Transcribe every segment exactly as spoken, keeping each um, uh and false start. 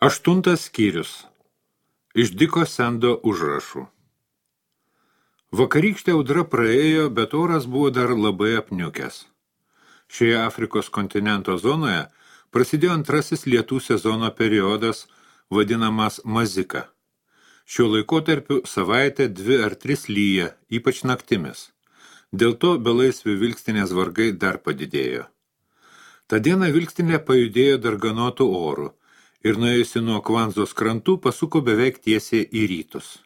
Aštuntas skyrius. Iš Diko Sendo užrašų. Vakarykštė audra praėjo, bet oras buvo dar labai apniukęs. Šioje Afrikos kontinento zonoje prasidėjo antrasis lietų sezono periodas, vadinamas mazika. Šiuo laikotarpiu savaitę dvi ar tris lyja, ypač naktimis. Dėl to belaisvių vilkstinės vargai dar padidėjo. Ta diena vilkstinė pajudėjo darganotų orų ir nuėjusi nuo Kvanzos krantų pasuko beveik tiesiai į rytus.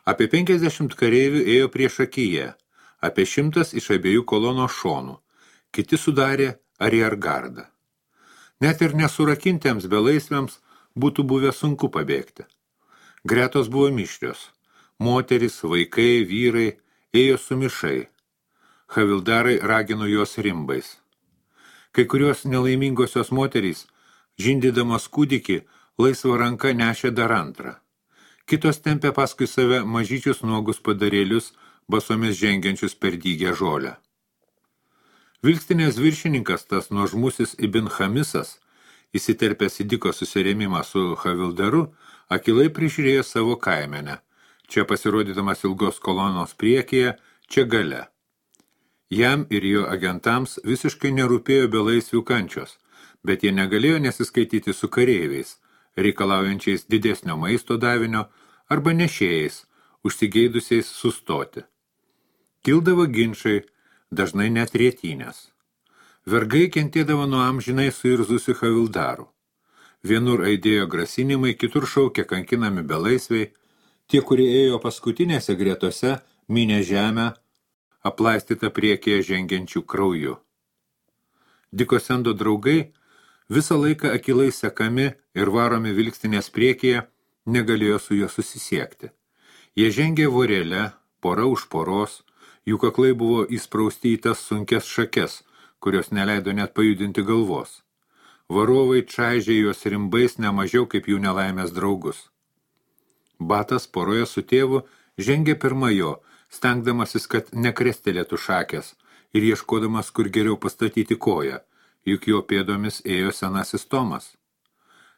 Apie penkiasdešimt kareivių ėjo priešakyje, apie šimtas iš abiejų kolonos šonų, kiti sudarė ariergardą. Net ir nesurakintiems belaisviams būtų buvę sunku pabėgti. Gretos buvo mišrios. Moterys, vaikai, vyrai ėjo sumišai. Havildarai ragino juos rimbais. Kai kurios nelaimingosios moterys, žindydamas kūdikį, laisvą ranką nešė dar antrą. Kitos tempė paskui save mažyčius nuogus padarėlius, basomis žengiančius per dygę žolę. Vilkstinės viršininkas, tas nuožmusis Ibn Chamisas, įsiterpęs į Diko susirėmimą su Havildaru, akilai prižiūrėjo savo kaimenę, čia pasirodydamas ilgos kolonos priekyje, čia gale. Jam ir jo agentams visiškai nerūpėjo belaisvių kančios, bet jie negalėjo nesiskaityti su kareiviais, reikalaujančiais didesnio maisto davinio arba nešėjais, užsigeidusiais sustoti. Kildavo ginčai, dažnai net rėtynės. Vergai kentėdavo nuo amžinai suirzusių havildarų. Vienur aidėjo grasinimai, kitur šaukė kankinami belaisviai, tie, kurie ėjo paskutinėse gretose, minė žemę, aplaistytą priekyje žengiančių krauju. Diko Sendo draugai, visą laiką akilai sekami ir varomi vilkstinės priekyje, negalėjo su juo susisiekti. Jie žengė vorelę, pora už poros, jų kaklai buvo įsprausti į tas sunkes šakes, kurios neleido net pajudinti galvos. Varovai čaižė juos rimbais nemažiau kaip jų nelaimės draugus. Batas poroje su tėvu žengė pirma jo, stengdamasis, kad nekrestelėtų šakės ir ieškodamas, kur geriau pastatyti koją, juk jo pėdomis ėjo senasis Tomas.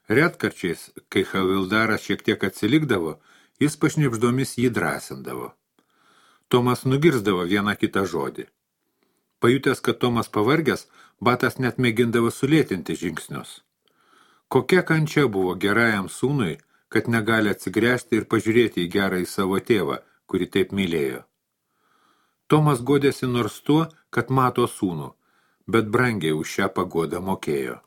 Retkarčiais, kai Havildaras šiek tiek atsilikdavo, jis pašnibždomis jį drąsindavo. Tomas nugirsdavo vieną kitą žodį. Pajutęs, kad Tomas pavargęs, Batas net mėgindavo sulėtinti žingsnius. Kokia kančia buvo gerajam sūnui, kad negali atsigręžti ir pažiūrėti į gerąjį savo tėvą, kurį taip mylėjo. Tomas godėsi nors tuo, kad mato sūnų, bet brangiai už šią pagodą mokėjo.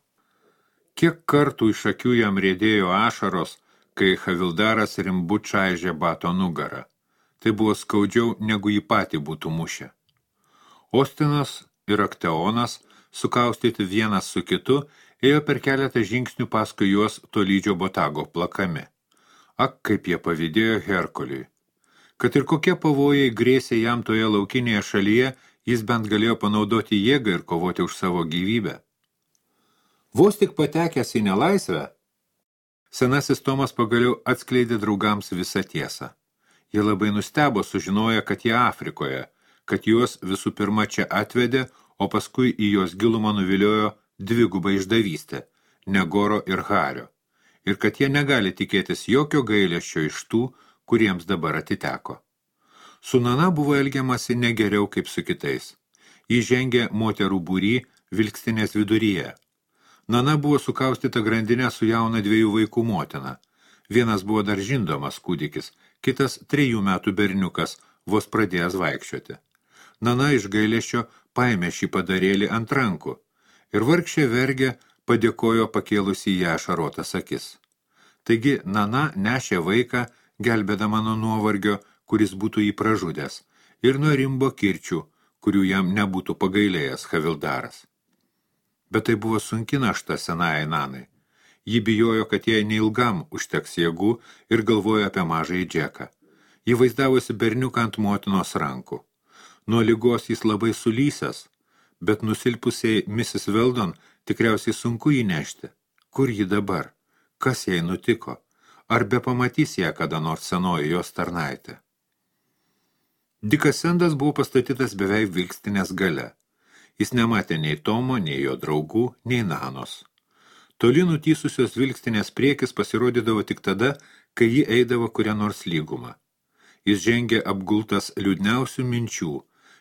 Kiek kartų iš akių jam riedėjo ašaros, kai Havildaras rimbu čaižė Bato nugarą. Tai buvo skaudžiau, negu jį patį būtų mušę. Ostinas ir Akteonas, sukaustyti vienas su kitu, ėjo per keletą žingsnių paskui juos tolydžio botago plakami. Ak, kaip jie pavydėjo Herkuliui. Kad ir kokie pavojai grėsė jam toje laukinėje šalyje, jis bent galėjo panaudoti jėgą ir kovoti už savo gyvybę. Vos tik patekęs į nelaisvę, senasis Tomas pagaliau atskleidė draugams visą tiesą. Jie labai nustebo sužinoję, kad jie Afrikoje, kad juos visų pirma čia atvedė, o paskui į jos gilumą nuviliojo dvigubą išdavystę, Negoro ir Hario, ir kad jie negali tikėtis jokio gailesčio iš tų, kuriems dabar atiteko. Su Nana buvo elgiamasi negeriau kaip su kitais. Ji žengė moterų būry vilkstinės viduryje. Nana buvo sukaustyta grandinė su jauna dviejų vaikų motina. Vienas buvo dar žindomas kūdikis, kitas trejų metų berniukas, vos pradėjęs vaikščioti. Nana iš gailesčio paėmė šį padarėlį ant rankų ir vargšė vergė padėkojo pakėlusi į ją ašarotas akis. Taigi Nana nešė vaiką, gelbėdama nuo nuovargio, kuris būtų jį pražudęs, ir nuo rimbo kirčių, kurių jam nebūtų pagailėjęs Havildaras. Bet tai buvo sunki našta senajai Nanai. Ji bijojo, kad jai neilgam užteks jėgų ir galvojo apie mažąjį Džeką. Ji vaizdavosi berniuką ant motinos rankų. Nuo ligos jis labai sulysęs, bet nusilpusiai misis Weldon tikriausiai sunku jį nešti. Kur ji dabar? Kas jai nutiko? Ar be pamatys ją kada nors senoji jos tarnaitė? Dikas Sendas buvo pastatytas beveik vilkstinės gale. Jis nematė nei Tomo, nei jo draugų, nei Nanos. Toli nutysusios vilkstinės priekis pasirodydavo tik tada, kai ji eidavo kurią nors lygumą. Jis žengė apgultas liūdniausių minčių,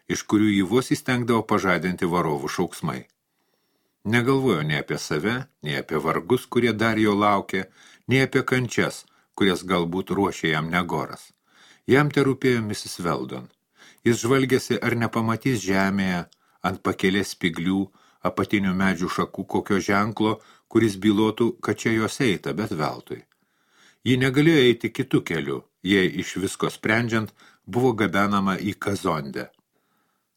iš kurių jį vos įstengdavo pažadinti varovų šauksmai. Negalvojo nei apie save, nei apie vargus, kurie dar jo laukė, nei apie kančias, kurias galbūt ruošė jam Negoras. Jam te rūpėjo misis Weldon. Jis žvalgėsi, ar nepamatys žemėje, ant pakelės spiglių, apatinių medžių šakų kokio ženklo, kuris bylotų, kad čia jos eita, bet veltui. Ji negalėjo eiti kitų kelių, jei iš visko sprendžiant buvo gabenama į Kazondę.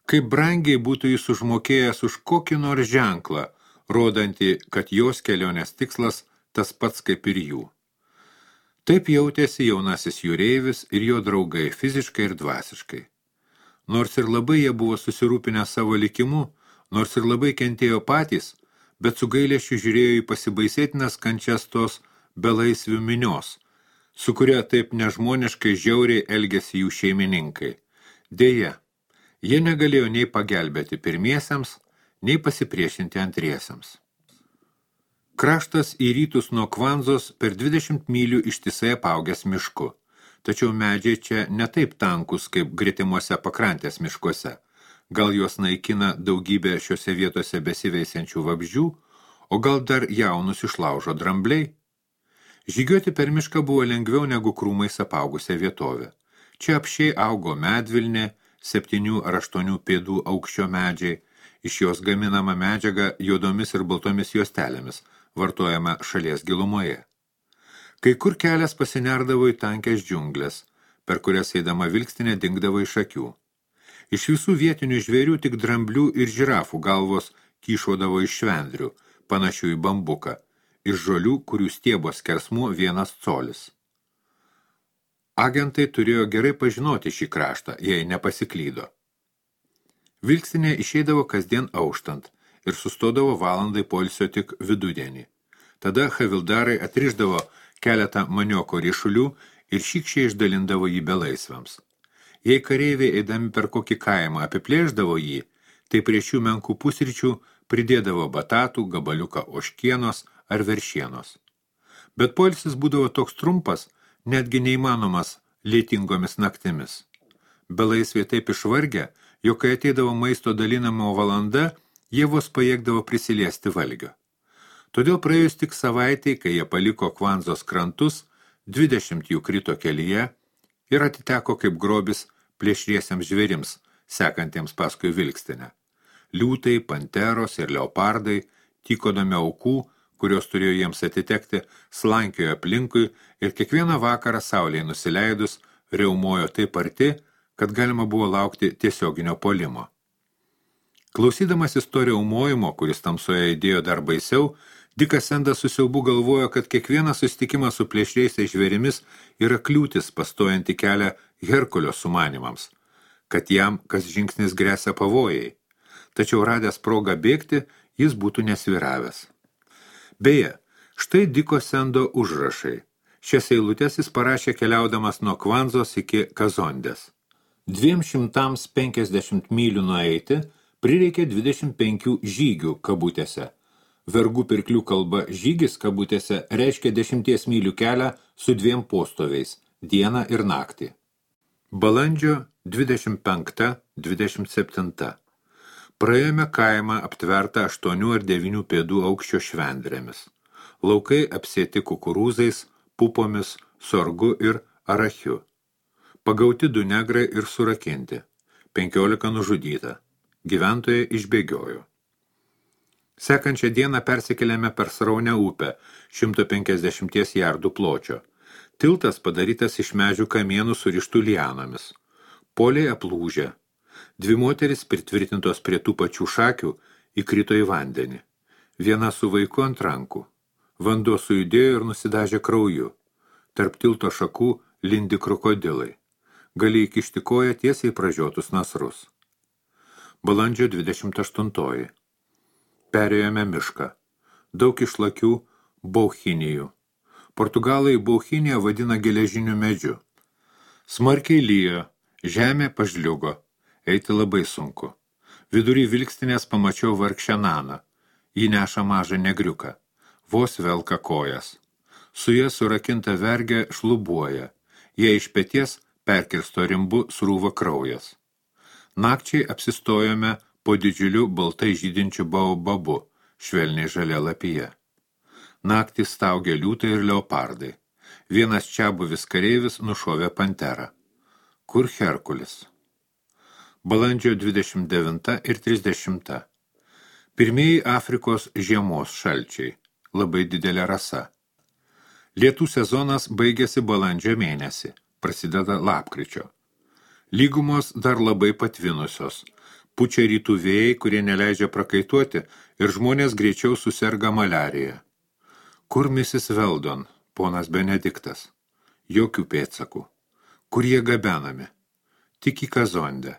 Kaip brangiai būtų jis užmokėjęs už kokį nors ženklą, rodantį, kad jos kelionės tikslas tas pats kaip ir jų. Taip jautėsi jaunasis jūreivis ir jo draugai fiziškai ir dvasiškai. Nors ir labai jie buvo susirūpinę savo likimu, nors ir labai kentėjo patys, bet su gailesčiu žiūrėjo į pasibaisėtinas kančias tos belaisvių minios, su kuria taip nežmoniškai žiauriai elgėsi jų šeimininkai. Deja, jie negalėjo nei pagelbėti pirmiesiems, nei pasipriešinti antriesiems. Kraštas į rytus nuo Kvanzos per dvidešimt mylių ištisai apaugęs mišku, tačiau medžiai čia ne taip tankus kaip gretimuose pakrantės miškuose. Gal juos naikina daugybė šiuose vietose besiveisiančių vabzdžių, o gal dar jaunus išlaužo drambliai? Žygiuoti per mišką buvo lengviau negu krūmais apaugusią vietovę. Čia apšiai augo medvilnė, septynių ar aštuonių pėdų aukščio medžiai, iš jos gaminama medžiaga juodomis ir baltomis juostelėmis, vartojama šalies gilumoje. Kai kur kelias pasinerdavo į tankės džiunglės, per kurias eidama vilkstinė dingdavo iš akių. Iš visų vietinių žvėrių tik dramblių ir žirafų galvos kyšodavo iš švendrių, panašių į bambuką, iš žolių, kurių stiebos skersmuo vienas colis. Agentai turėjo gerai pažinoti šį kraštą, jei nepasiklydo. Vilkstinė išeidavo kasdien auštant ir sustodavo valandai poilsio tik vidudienį. Tada havildarai atrišdavo keletą manioko ryšulių ir šykščiai išdalindavo jį belaisviams. Jei kareiviai eidami per kokį kaimą apiplėždavo jį, tai prie šių menkų pusryčių pridėdavo batatų, gabaliuką ožkienos ar veršienos. Bet poilsis būdavo toks trumpas, netgi neįmanomas lietingomis naktimis. Belaisviai taip išvargę, jog kai ateidavo maisto dalinamo valanda, jie vos pajėgdavo prisiliesti valgio. Todėl praėjus tik savaitei, kai jie paliko Kvanzos krantus, dvidešimt jų krito kelyje ir atiteko kaip grobis plėšriesiems žvėrims, sekantiems paskui vilkstinę. Liūtai, panteros ir leopardai, tykodami aukų, kurios turėjo jiems atitekti, slankiojo aplinkui ir kiekvieną vakarą saulei nusileidus riaumojo taip arti, kad galima buvo laukti tiesioginio puolimo. Klausydamasis to riaumojimo, kuris tamsoje įdėjo dar baisiau, Dikas Sendas su siaubu galvojo, kad kiekvienas susitikimas su plėšriaisiais žvėrimis yra kliūtis pastojantį kelią Herkulio sumanimams, kad jam kas žingsnis gresia pavojai. Tačiau radęs progą bėgti, jis būtų nesviravęs. Beje, štai Diko Sendo užrašai. Šias eilutes jis parašė keliaudamas nuo Kvanzos iki Kazondės. Dviem šimtams penkiasdešimt mylių nueiti prireikė dvidešimt penkių žygių kabutėse. Vergų pirklių kalba žygis kabutėse reiškia dešimties mylių kelią su dviem postoviais, dieną ir naktį. Balandžio dvidešimt penkta dvidešimt septinta. Praėjome kaimą aptvertą aštuonių ar devynių pėdų aukščio švendrėmis. Laukai apsėti kukurūzais, pupomis, sorgu ir arachiu. Pagauti du negrai ir surakinti. Penkiolika nužudyta. Gyventojai išbėgiojo. Sekančią dieną persikėlėme per sraunę upę, šimto penkiasdešimt jardų pločio. Tiltas padarytas iš medžių kamienų surištų lianomis. Poliai aplūžę. Dvi moteris pritvirtintos prie tų pačių šakių įkrito į vandenį. Viena su vaiku ant rankų. Vanduo sujudėjo ir nusidažė krauju. Tarp tilto šakų lindi krokodilai. Gali įkišti koją tiesiai pražiotus nasrus. Balandžio dvidešimt aštuntoji. Perėjome mišką. Daug išlakių bauchinijų. Portugalai bauchiniją vadina geležiniu medžiu. Smarkiai lyjo, žemė pažliugo, eiti labai sunku. Vidury vilkstinės pamačiau vargšę Naną. Ji neša mažą negriuką. vos velka kojas. Su jie surakinta vergė šlubuoja, jie iš peties perkirsto rimbu srūva kraujas. Nakčiai apsistojome po didžiuliu baltai žydinčiu baobabu, švelniai žalia lapija. Naktį staugė liūtai ir leopardai. Vienas čiabuvis kareivis nušovė panterą. Kur Herkulis? Balandžio dvidešimt devinta ir trisdešimta. Pirmieji Afrikos žiemos šalčiai. Labai didelė rasa. Lietų sezonas baigėsi balandžio mėnesį. Prasideda lapkričio. Lygumos dar labai patvinusios. Pučia rytų vėjai, kurie neleidžia prakaituoti ir žmonės greičiau suserga maliarija. Kur misis Veldon, ponas Benediktas? Jokių pėdsakų. Kur jie gabenami? Tik į Kazondę.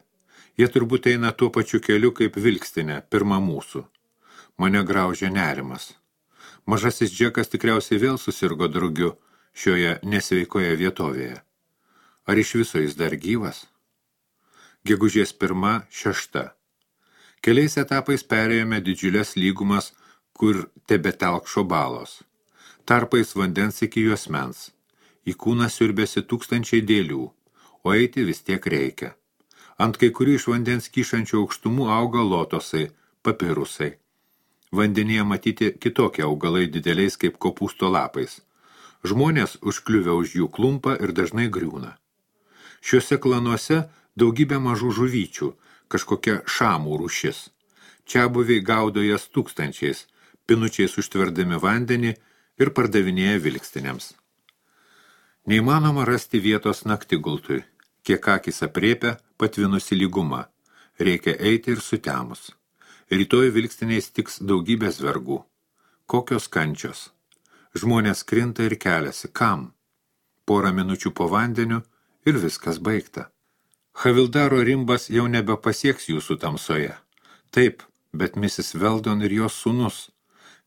Jie turbūt eina tuo pačiu keliu kaip Vilkstinė, pirma mūsų. Mane graužia nerimas. Mažasis Džekas tikriausiai vėl susirgo drugiu šioje nesveikoje vietovėje. Ar iš viso jis dar gyvas? Gegužės pirma, šešta. Keliais etapais perėjome didžiulės lygumas, kur tebetelkšo balos. Tarpais vandens iki juosmens. Į kūną siurbėsi tūkstančiai dėlių, o eiti vis tiek reikia. Ant kai kurių iš vandens kyšančių aukštumų auga lotosai, papirusai. Vandenyje matyti kitokie augalai dideliais kaip kopūsto lapais. Žmonės užkliuvę už jų klumpa ir dažnai griūna. Šiuose klanuose daugybė mažų žuvyčių, kažkokia šamų rūšis. Čiabuviai gaudo jas tūkstančiais, pinučiais užtverdami vandenį ir pardavinėja vilkstinėms. Neįmanoma rasti vietos naktigultui. Kiek akis apriepia, patvinusi lyguma. Reikia eiti ir sutemus. Rytoj vilkstiniais tiks daugybės vergų. Kokios kančios. Žmonės krinta ir keliasi. Kam? Porą minučių po vandeniu ir viskas baigta. Havildaro rimbas jau nebepasieks jūsų tamsoje. Taip, bet misis Veldon ir jos sūnus.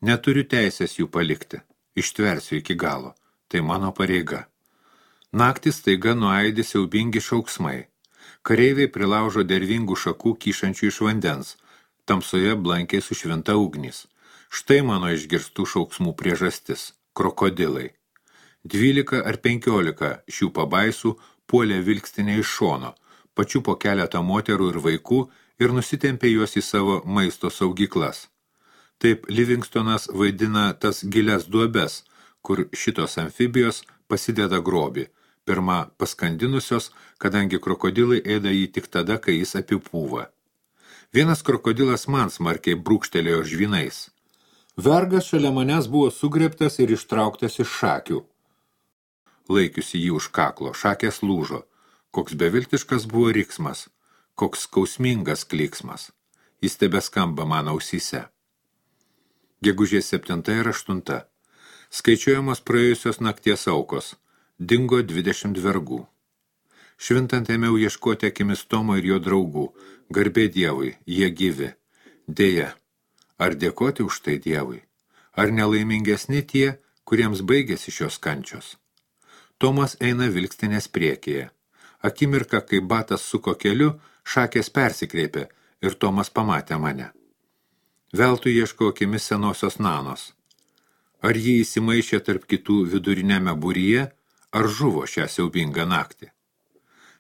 Neturiu teisės jų palikti. Ištversiu iki galo. Tai mano pareiga. Naktis staiga nuaidi siaubingi šauksmai. Kareiviai prilaužo dervingų šakų kyšančių iš vandens. Tamsoje blankiai sušvinta ugnis. Štai mano išgirstų šauksmų priežastis – krokodilai. Dvylika ar penkiolika šių pabaisų puolė vilkstinę iš šono, pačių po keletą moterų ir vaikų ir nusitempė juos į savo maisto saugyklas. Taip Livingstonas vaidina tas gilias duobes, kur šitos amfibijos pasideda grobį, pirma paskandinusios, kadangi krokodilai ėda jį tik tada, kai jis apipūva. Vienas krokodilas man smarkiai brūkštelėjo žvynais. Vergas šalia manęs buvo sugrėbtas ir ištrauktas iš šakių. Laikiusi jį už kaklo, šakės lūžo. Koks beviltiškas buvo riksmas, koks skausmingas klyksmas. Jis tebeskamba mano ausyse. Gegužės septinta ir aštunta. Skaičiuojamos praėjusios nakties aukos. Dingo dvidešimt vergų. Švintant ėmiau ieškoti akimis Tomo ir jo draugų. Garbė Dievui, jie gyvi. Deja, ar dėkoti už tai Dievui? Ar nelaimingesni tie, kuriems baigėsi šios kančios? Tomas eina vilkstinės priekyje. Akimirka, kai batas suko keliu, šakės persikreipė ir Tomas pamatė mane. Veltui ieško akimis senosios Nanos. Ar jį įsimaišė tarp kitų vidurinėme būryje, ar žuvo šią siaubingą naktį?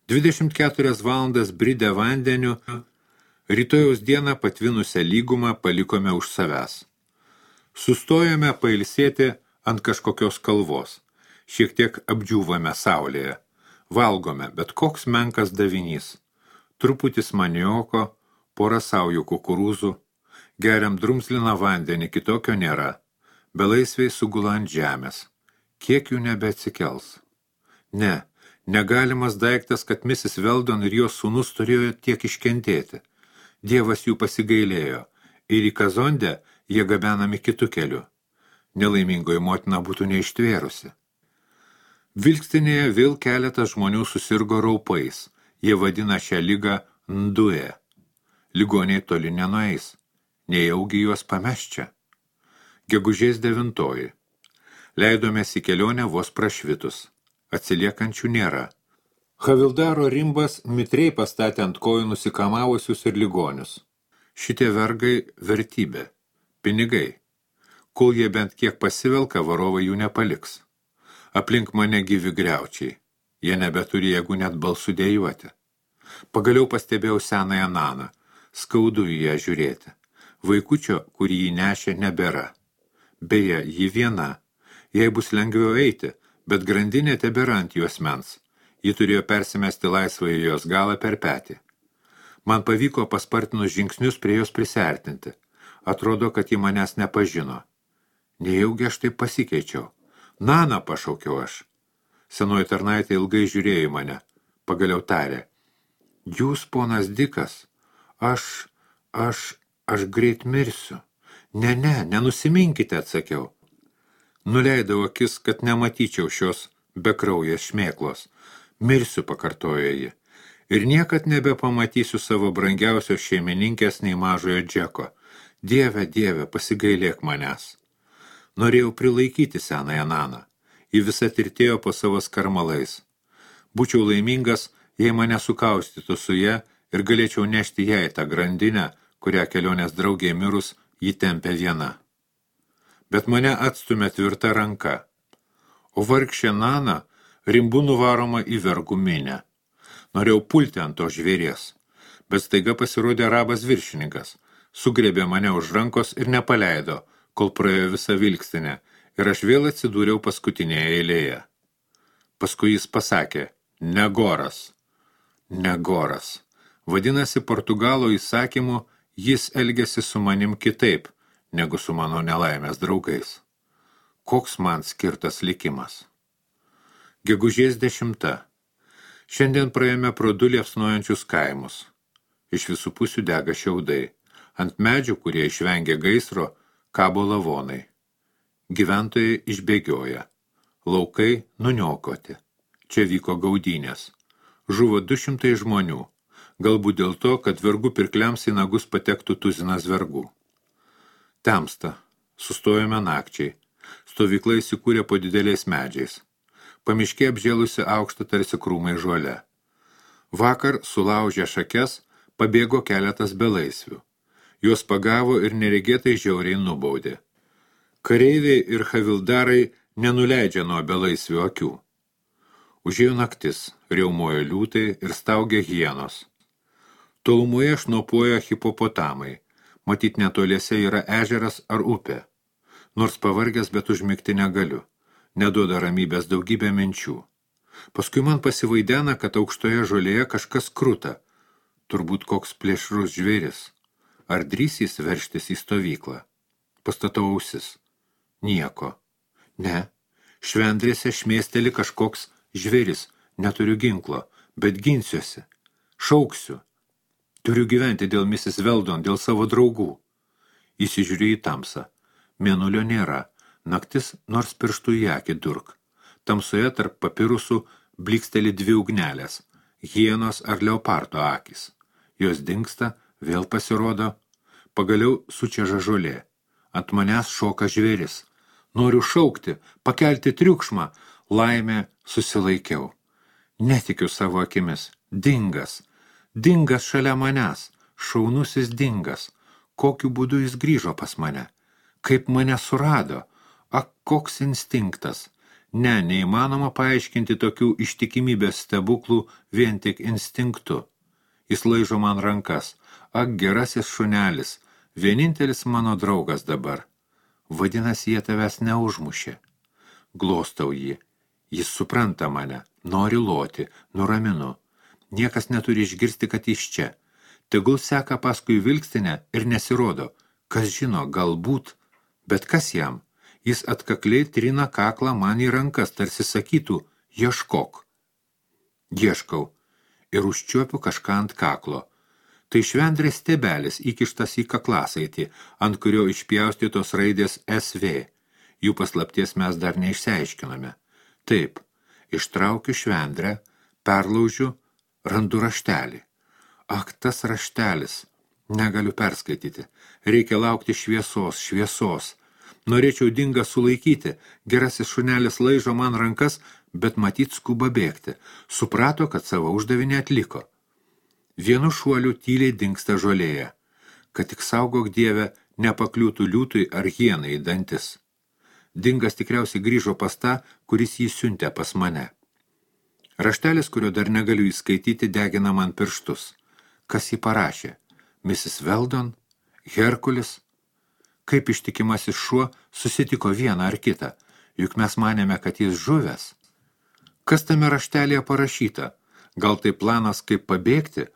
dvidešimt keturias valandas bridę vandeniu, rytojaus dieną patvinusią lygumą palikome už savęs. Sustojome pailsėti ant kažkokios kalvos. Šiek tiek apdžiūvame saulėje. Valgome, bet koks menkas davinys. Truputis manioko, pora saujų kukurūzų. Geriam drumzliną vandenį, kitokio nėra. Belaisviai sugula ant žemės. Kiek jų nebeatsikels? Ne, negalimas daiktas, kad misis Veldon ir jos sūnus turėjo tiek iškentėti. Dievas jų pasigailėjo ir į Kazondę jie gabenami kitu keliu. Nelaimingoji motina būtų neištvėrusi. Vilkstinėje vėl keletas žmonių susirgo raupais. Jie vadina šią ligą ndue. Ligoniai toli nenueis. Nejaugi juos pameš čia. Gegužės devintoji. Leidomės į kelionę vos prašvitus. Atsiliekančių nėra. Havildaro rimbas mitriai pastatė ant kojų nusikamavusius ir ligonius. Šitie vergai vertybė. Pinigai. Kol jie bent kiek pasivelka, varovai jų nepaliks. Aplink mane gyvi griaučiai. Jie nebeturi jėgų net balsų dėjuoti. Pagaliau pastebėjau senąją Naną. Skaudu į ją žiūrėti. Vaikučio, kurį jį nešė, nebėra. Beje, ji viena. Jai bus lengviau eiti, bet grandinė tebėra ant jos mens. Ji turėjo persimesti laisvą į jos galą per petį. Man pavyko paspartinus žingsnius prie jos prisiartinti. Atrodo, kad ji manęs nepažino. Nejaugi aš taip pasikeičiau. Nana, pašaukiau aš. Senoji tarnaitė ilgai žiūrėjo į mane. Pagaliau tarė. Jūs, ponas Dikas, aš, aš, aš greit mirsiu. Ne, ne, nenusiminkite, atsakiau. Nuleidau akis, kad nematyčiau šios bekraujės šmėklos. Mirsiu, pakartojo ji. Ir niekad nebepamatysiu savo brangiausios šeimininkės nei mažojo Džeko. Dieve, dieve, pasigailėk manęs. Norėjau prilaikyti senąją Naną. Ji visa tirtėjo po savo skarmalais. Būčiau laimingas, jei mane sukaustytų su ja ir galėčiau nešti jai tą grandinę, kurią kelionės draugė mirus ji tempė viena. Bet mane atstumė tvirta ranka. O vargšė Nana rimbu nuvaroma į vergų minę. Norėjau pulti ant to žvėries, bet staiga pasirodė arabas viršininkas. Sugriebė mane už rankos ir nepaleido, kol praėjo visą vilkstinę, ir aš vėl atsidūriau paskutinėje eilėje. Paskui jis pasakė, Negoras. Negoras. Vadinasi, Portugalo įsakymu jis elgėsi su manim kitaip, negu su mano nelaimės draugais. Koks man skirtas likimas? Gegužės dešimta. Šiandien praėjome pro du liepsnojančius kaimus. Iš visų pusių dega šiaudai. Ant medžių, kurie išvengė gaisro, kabo lavonai. Gyventojai išbėgioja. Laukai nuniokoti. Čia vyko gaudynės. Žuvo du šimtai žmonių. Galbūt dėl to, kad vergų pirkliams į nagus patektų tuzinas vergų. Temsta. Sustojome nakčiai. Stovykla įsikūrė po dideliais medžiais. Pamiškė apžėlusi aukštą tarsi krūmai žuole. Vakar, sulaužę šakes, pabėgo keletas belaisvių. Juos pagavo ir neregėtai žiauriai nubaudė. Kareiviai ir havildarai nenuleidžia nuo belaisvių akių. Užėjo naktis, riaumojo liūtai ir staugė hienos. Tolumoje šnopuoja hipopotamai. Matyt, netoliese yra ežeras ar upė. Nors pavargęs, bet užmigti negaliu. Neduoda ramybės daugybė minčių. Paskui man pasivaidena, kad aukštoje žolėje kažkas kruta. Turbūt koks plėšrus žvėris. Ar drįsys verštis į stovyklą? Pastatau ausis. Nieko. Ne. Švendrėse šmėsteli kažkoks žvėris. Neturiu ginklo, bet ginsiuosi. Šauksiu. Turiu gyventi dėl misis Veldon, dėl savo draugų. Įsižiūrėjau į tamsą. Mėnulio nėra. Naktis nors pirštų į akį durk. Tamsoje tarp papirusų bliksteli dvi ugnelės. Hienos ar leopardo akis. Jos dingsta, vėl pasirodo. Pagaliau sučeža žolė. Ant manęs šoka žvėris. Noriu šaukti, pakelti triukšmą. Laimė susilaikiau. Netikiu savo akimis. Dingas. Dingas šalia manęs. Šaunusis dingas. Kokiu būdu jis grįžo pas mane? Kaip mane surado? Ak, koks instinktas. Ne, neįmanoma paaiškinti tokių ištikimybės stebuklų vien tik instinktu. Jis laižo man rankas. Ak, gerasis šunelis. Vienintelis mano draugas dabar. Vadinasi, jie tavęs neužmušė. Glostau jį. Jis supranta mane. Nori loti. Nuraminu. Niekas neturi išgirsti, kad iš čia. Tegul seka paskui vilkstinę ir nesirodo. Kas žino, galbūt. Bet kas jam? Jis atkakliai trina kaklą man į rankas, tarsi sakytų, ieškok. Ieškau ir užčiuopiu kažką ant kaklo. Tai švendrės stebelis įkištas į kaklasaitį, ant kurio išpjaustytos raidės S V. Jų paslapties mes dar neišsiaiškiname. Taip, ištraukiu švendrę, perlaužiu, randu raštelį. Ak, tas raštelis. Negaliu perskaityti. Reikia laukti šviesos, šviesos. Norėčiau dingą sulaikyti. Gerasis šunelis laižo man rankas, bet matyt skuba bėgti. Suprato, kad savo uždavinį atliko. Vienu šuoliu tyliai dingsta žolėje. Kad tik saugok Dieve, nepakliūtų liūtui ar hienai į dantis. Dingas tikriausiai grįžo pas tą, kuris jį siuntė pas mane. Raštelis, kurio dar negaliu įskaityti, degina man pirštus. Kas jį parašė? misis Weldon? Herkulis? Kaip ištikimasis šuo susitiko vieną ar kitą, juk mes manėme, kad jis žuvęs. Kas tame raštelėje parašyta? Gal tai planas, kaip pabėgti,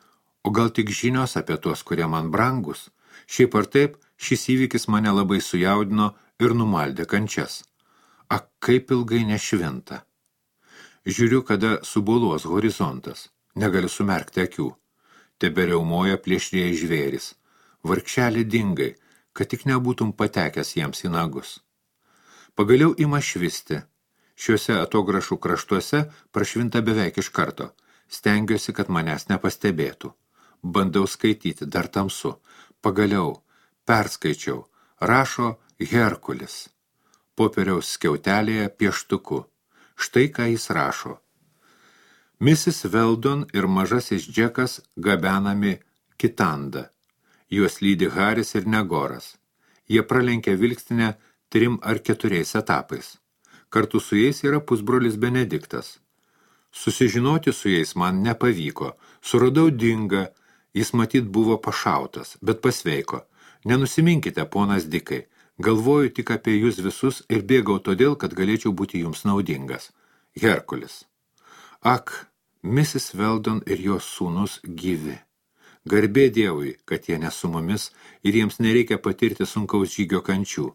o gal tik žinios apie tuos, kurie man brangus? Šiaip ar taip, šis įvykis mane labai sujaudino ir numaldė kančias. Ak, kaip ilgai nešvinta. Žiūriu, kada suboluos horizontas. Negaliu sumerkti akių. Teberiaumoja plėšrieji žvėris. Vargšelį dingai, kad tik nebūtum patekęs jiems į nagus. Pagaliau ima švisti. Šiuose atograšų kraštuose prašvinta beveik iš karto. Stengiuosi, kad manęs nepastebėtų. Bandau skaityti, dar tamsu. Pagaliau, perskaičiau. Rašo Herkulis. Popieriaus skiautelėje pieštuku. Štai ką jis rašo. misis Weldon ir mažasis Džekas gabenami Kitanda. Juos lydi Haris ir Negoras. Jie pralenkia vilkstinę trim ar keturiais etapais. Kartu su jais yra pusbrolis Benediktas. Susižinoti su jais man nepavyko. Suradau Dingą, jis matyt buvo pašautas, bet pasveiko. Nenusiminkite, ponas Dikai. Galvoju tik apie jūs visus ir bėgau todėl, kad galėčiau būti jums naudingas. Herkulis. Ak, misis Weldon ir jos sūnus gyvi. Garbė Dievui, kad jie ne su mumis ir jiems nereikia patirti sunkaus žygio kančių.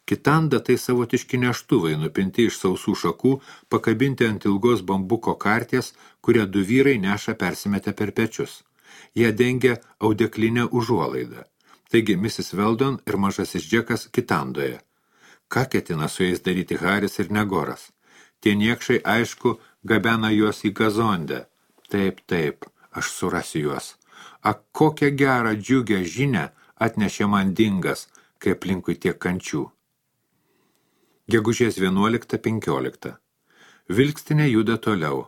Kitanda tai savotiški neštuvai, nupinti iš sausų šakų, pakabinti ant ilgos bambuko karties, kurią du vyrai neša persimetę per pečius. Jie dengia audeklinę užuolaidą. Taigi misis Weldon ir mažasis Džekas Kitandoje. Ką ketina su jais daryti Haris ir Negoras? Tie niekšai, aišku, gabena juos į Gazondę. Taip, taip, aš surasiu juos. Ak, kokią gerą džiugę žinią atnešė man Dingas, kai aplinkui tiek kančių. Gegužės vienuolikta penkiolikta. Vilkstinė juda toliau.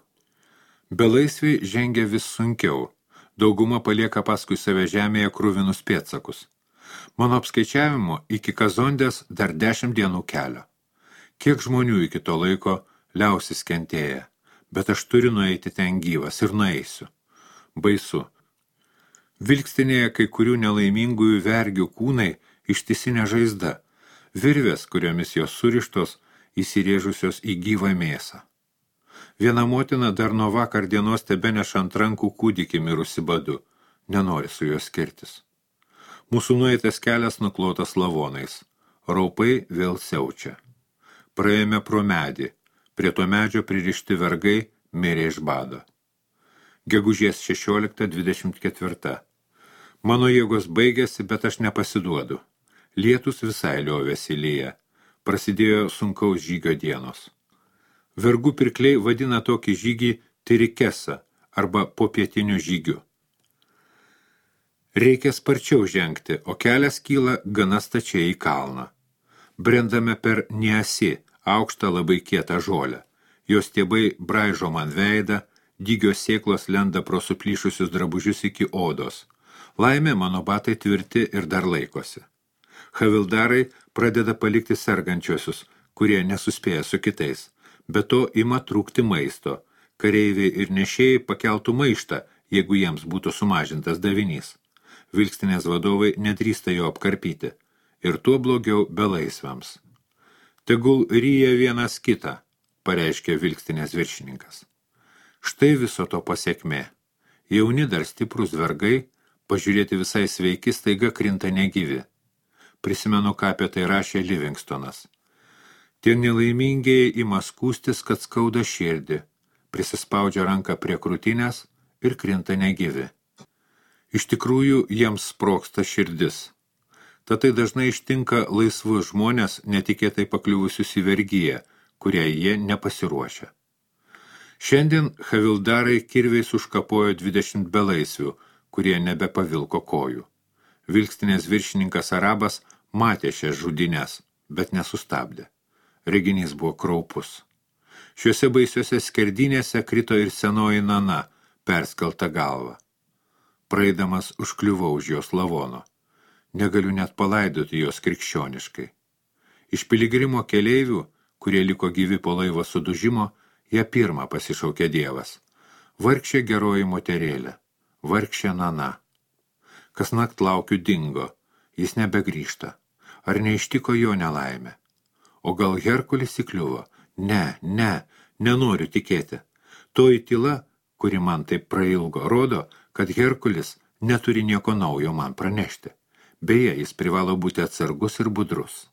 Belaisviai žengia vis sunkiau. Dauguma palieka paskui save žemėje kruvinus pėdsakus. Mano apskaičiavimu iki Kazondės dar dešimt dienų kelio. Kiek žmonių iki to laiko liausis kentėję, bet aš turiu nueiti ten gyvas ir nueisiu. Baisu. Vilkstinėje kai kurių nelaimingųjų vergių kūnai ištisinė žaizda, virvės, kuriomis jos surištos, įsirėžusios į gyvą mėsą. Viena motina dar nuo vakar dienos tebeneša ant rankų kūdikį mirusi badu, nenori su juo skirtis. Mūsų nueitas kelias nuklotas lavonais, raupai vėl siaučia. Praėjome pro medį, prie to medžio pririšti vergai mirė iš bado. Gegužės šešiolikta dvidešimt ketvirta. Mano jėgos baigėsi, bet aš nepasiduodu. Lietus visai liovėsi lyja. Prasidėjo sunkaus žygio dienos. Vergų pirkliai vadina tokį žygį tirikesa arba popietiniu žygiu. Reikia sparčiau žengti, o kelias kyla gana stačiai į kalną. Brendame per Niasi, aukštą labai kietą žolę. Jos stiebai braižo man veidą, dygios sėklos lenda pro suplyšusius drabužius iki odos. Laimė mano batai tvirti ir dar laikosi. Havildarai pradeda palikti sergančiosius, kurie nesuspėja su kitais. Be to ima trūkti maisto. Kareiviai ir nešėjai pakeltų maištą, jeigu jiems būtų sumažintas davinys. Vilkstinės vadovai nedrįsta jo apkarpyti. Ir tuo blogiau belaisviams. Tegul ryja vienas kitą, pareiškė vilkstinės viršininkas. Štai viso to pasekmė. Jauni dar stiprus vergai, pažiūrėti visai sveiki, staiga krinta negyvi. Prisimenu, ką apie tai rašė Livingstonas. Tie nelaimingieji ima skūstis, kad skauda širdį, prisispaudžia ranką prie krūtinės ir krinta negyvi. Iš tikrųjų, jiems sprogsta širdis. Tad tai dažnai ištinka laisvus žmonės, netikėtai pakliuvusius į vergiją, kurie jie nepasiruošia. Šiandien havildarai kirviais užkapojo dvidešimt belaisvių, kurie nebepavilko kojų. Vilkstinės viršininkas Arabas matė šias žudines, bet nesustabdė. Reginys buvo kraupus. Šiuose baisiuose skerdynėse krito ir senoji Nana, perskelta galva. Praeidamas užkliuvau už jos lavono. Negaliu net palaidoti jos krikščioniškai. Iš piligrimo keleivių, kurie liko gyvi po laivo sudužimo, ją pirmą pasišaukė Dievas. Vargšė geroji moterėlė, vargšė Nana. Kasnakt laukiu dingo, jis nebegrįžta. Ar neištiko jo nelaimė? O gal Herkulis įkliuvo? Ne, ne, nenoriu tikėti. Toji tyla, kuri man taip prailgo, rodo, kad Herkulis neturi nieko naujo man pranešti. Beje, jis privalo būti atsargus ir budrus.